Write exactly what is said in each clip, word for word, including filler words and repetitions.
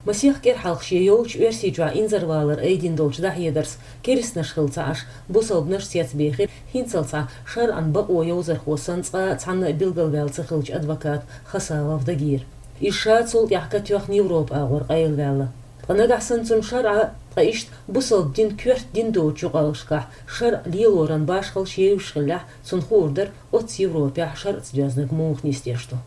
Масех кӀира хьалха шен йолчу Оьрсийчохь инзарвалар айдина долчу дӀахьедарца, керстанаш хилла ца Ӏаш, бусалбанаш цецбехира хӀинццалц схьа шарӀан бакъо йовзархо санна цкъа а цхьанна а билгалваьлла ца хиллачу адвоката Хасавов Дагира. Иза ша цул тӀаьхьа катоьхна Европа агӀор къайлаваьлла. Ткъа нагахь санна цунна шарӀа, ткъа иштта бусалба дин коьрта дин доцучу юкъаллашкахь шарӀ лелоран башхаллаш евзаш хиллехь, цунна хуур дара, оццу Европехь шарӀаца доьзнарг муха нисдеш ду.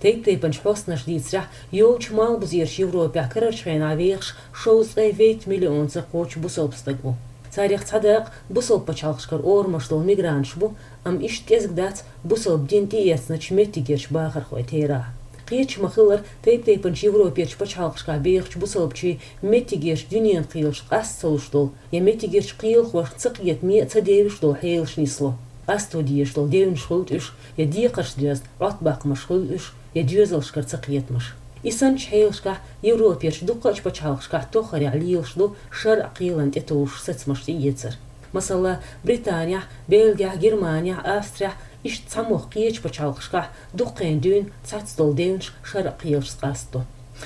Тайп-тайпанчу хьостанаша дийцарехь, йолчу Малхбузерчу Европехь карарчу хенахь вехаш шовзткъе вейтта миллионца кхочу бусалба стаг ву. Царех цхьа дакъа бусалба пачхьалкхашкара орамаш долу мигранташ бу, амма иштта кӀезиг дац бусалба дин тӀеэцначу меттигерчу бахархойн терахь. Кхеташ ма-хиллара, тайп-тайпанчу Европерчу пачхьалкхашкахь бехачу бусалбачийн меттигерчу дуьненан кхелашка къаста ца луш долу я меттигерчу кхелахошна ца кхетаме а, ца девзаш долу хьелаш нисло. Къасто дезаш долу девнаш хуьлда уьш, я декхаршца доьзна Ӏоттабаккхамаш хуьлда уьш, я доьзалшкара цакхетамаш. И санначу хьелашкахь Европерчу дуккхачу пачхьалкхашкахь тоххарехь лелаш ду шарӀан кхелана тӀетовжуш сацамаш тӀеэцар. Масала, Британехь, Бельгехь, Германехь, Австрехь, иштта цхьамогӀа кхечу пачхьалкхашкахь дуккха хан дуьйна цхьацца долу девнаш шарӀан кхелашца къастадо.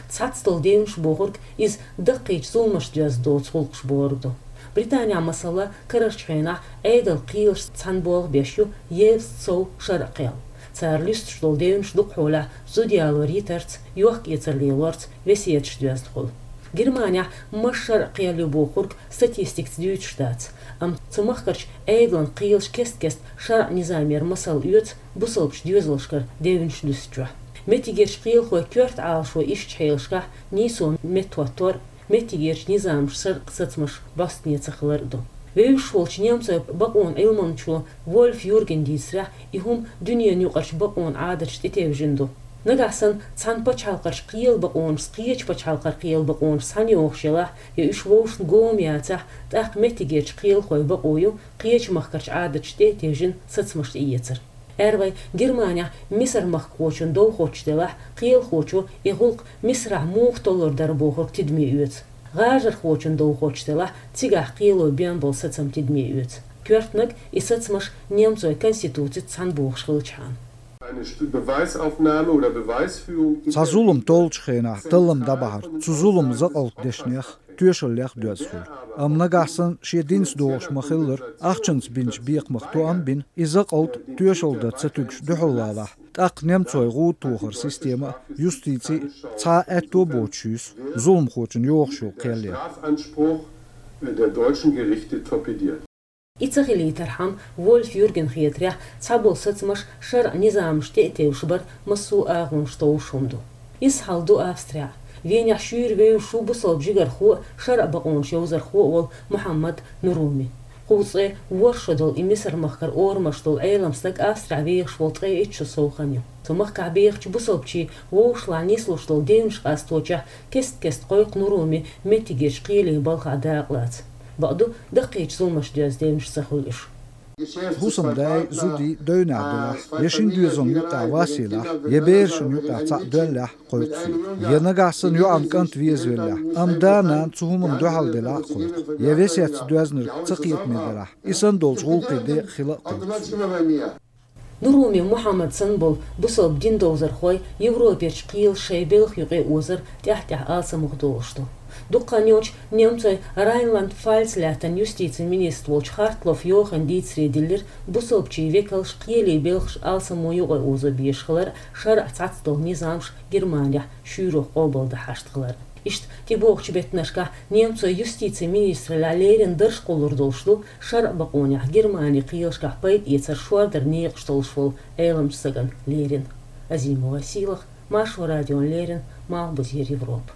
Цхьацца долу девнаш бохург иза даккхийчу зуламашца доьзна доцу гӀуллакхаш бохург ду. Британехь, масала, карарчу хенахь Ӏедалан кхелашца цхьаьна болх беш ю евзаца сов шарӀан кхел. Цара луьстуш долу девнаш дукхахьолехь зуда ялор йитарца, йохк-эцар лелорца, весеташца доьзна хуьлу. Германехь массо а шарӀан кхел ю бохург статистикаца дуьйцуш дац, амма цу махкарчу Ӏедалан кхелаш кест-кеста шарӀан низамера масал оьцу бусалбачу доьзалшкара девнаш луьстучохь. Меттигерчу кхелахойн коьрта Ӏалашо ишттачу хьелашкахь нийсо меттахӀоттор а, меттигерчу низамаша шарӀан сацамаш бӀостанехьа ца хилар а ду. Вевзаш волчу немцойн бакъонан Ӏилманчо Вольф Юргена дийцарехь, и хӀума дуьненан юкъарчу бакъонан Ӏадаташна тӀетевжина ду. Нагахь санна цхьана пачхьалкхарчу кхелан бакъонашца кхечу пачхьалкхара кхелан бакъонаш схьаьнайохуш елахь, я уьш вовшашна гома яцахь, тӀаккха меттигерчу кхелахойн бакъо ю кхечу махкарчу Ӏадаташна тӀетевжина сацамаш тӀеэцар. Ара вай, Германехь мисар-махкахочун дов хоттуш делахь, кхелахочо и гӀуллакх Мисарахь муха толлур дара бохург тидаме оьцу. ГӀажархочун дов хоттуш делахь, цигахь кхело бен болу сацам тидаме оьцу. Коьртаниг, и сацамаш немцойн конституцица цхьаьна бохуш хилчахьана. Eine Stu-, Beweisaufnahme oder Beweisführung. Цхьа зулам толлучу хенахь таллам дӀабахьар, цу зуламан закъалтан дешнех, тоьшаллех доьзна хуьлу. Амма нагахь санна шен динца догӀуш ма-хиллара, ахчанца бинчу бекхамах тоам а бина, и закъалт тоьшалла дан ца туьгуш дуьхьал валахь, тӀаккха немцойн гӀуда тохаран система а, юстици а цхьа а аьтто а боцуш юьсу зуламхочун йогӀуш йолу кхел ян. Strafanspruch der deutschen Gerichte torpediert. И ца хилийтархьама, Вольф Юргена хетарехь, цхьаболу сацамаш шарӀан низамашна тӀе а тевжаш бар массо а агӀонаш товш хӀума ду. Изза хьал ду Австрехь. Венехь шуьйра вевзаш ву бусалба жигархо а, шарӀан бакъонаш йовзархо а волу Мухьаммад Нуруми. Кхузткъе ворхӀ шо долу и Мисар-махкара орамаш долу Ӏелам стаг Австрехь вехаш волу ткъе итт шо сов хан ю. Цу махкахь бехачу бусалбачийн вовшашлахь нислуш долу девнаш къасточохь кест-кеста кхойкху Нуруми меттигерчу кхелийн балхахь дакъалаца. Бакъду, даккхийчу зуламашца доьзна девнаш ца хуьлу уьш. ХӀусамдай, зудий девнехь делахь, я шина доьзална юккъехь вас елахь, я берашна юккъехь цхьаъ доьллехь, кхойкху цо. Я нагахь санна йоӀан кӀант везавеллехь, амма да-нана цу хӀуманна дуьхьал делахь а кхойкху. Я весетца доьзнарг ца кхетаме делахь, и санна долчу гӀуллакхийн декъахь хила а кхойкху цо. Нуруми Мухьаммад санна болу бусалба дин довзархой Европерчу кхелаша шайн белхан юкъа озар тӀаьхь-тӀаьхьа алсамох долуш ду. Дукха хан йоццуш немцойн Райнланд-Пфальц лаьттан юстицин министр волчу Хартлофф Йохана дийцаре диллира бусалбачийн векалш кхелийн белхаш алсамо юкъа озо безаш хилар а, шарӀан цхьацца долу низамаш Германехь шуьйрах къобалдан хьашт хилар а. Иштта тӀебогӀучу беттанашкахь немцойн юстицин министраллехь леррина дарж кхуллур долуш ду шарӀан бакъонех Германин кхелашкахь пайда эцар шордаран некъаш толлуш волу Ӏеламчу стагана леррина. Азимова Сийлаха, Маршо радиона леррина, Малхбузера Европа.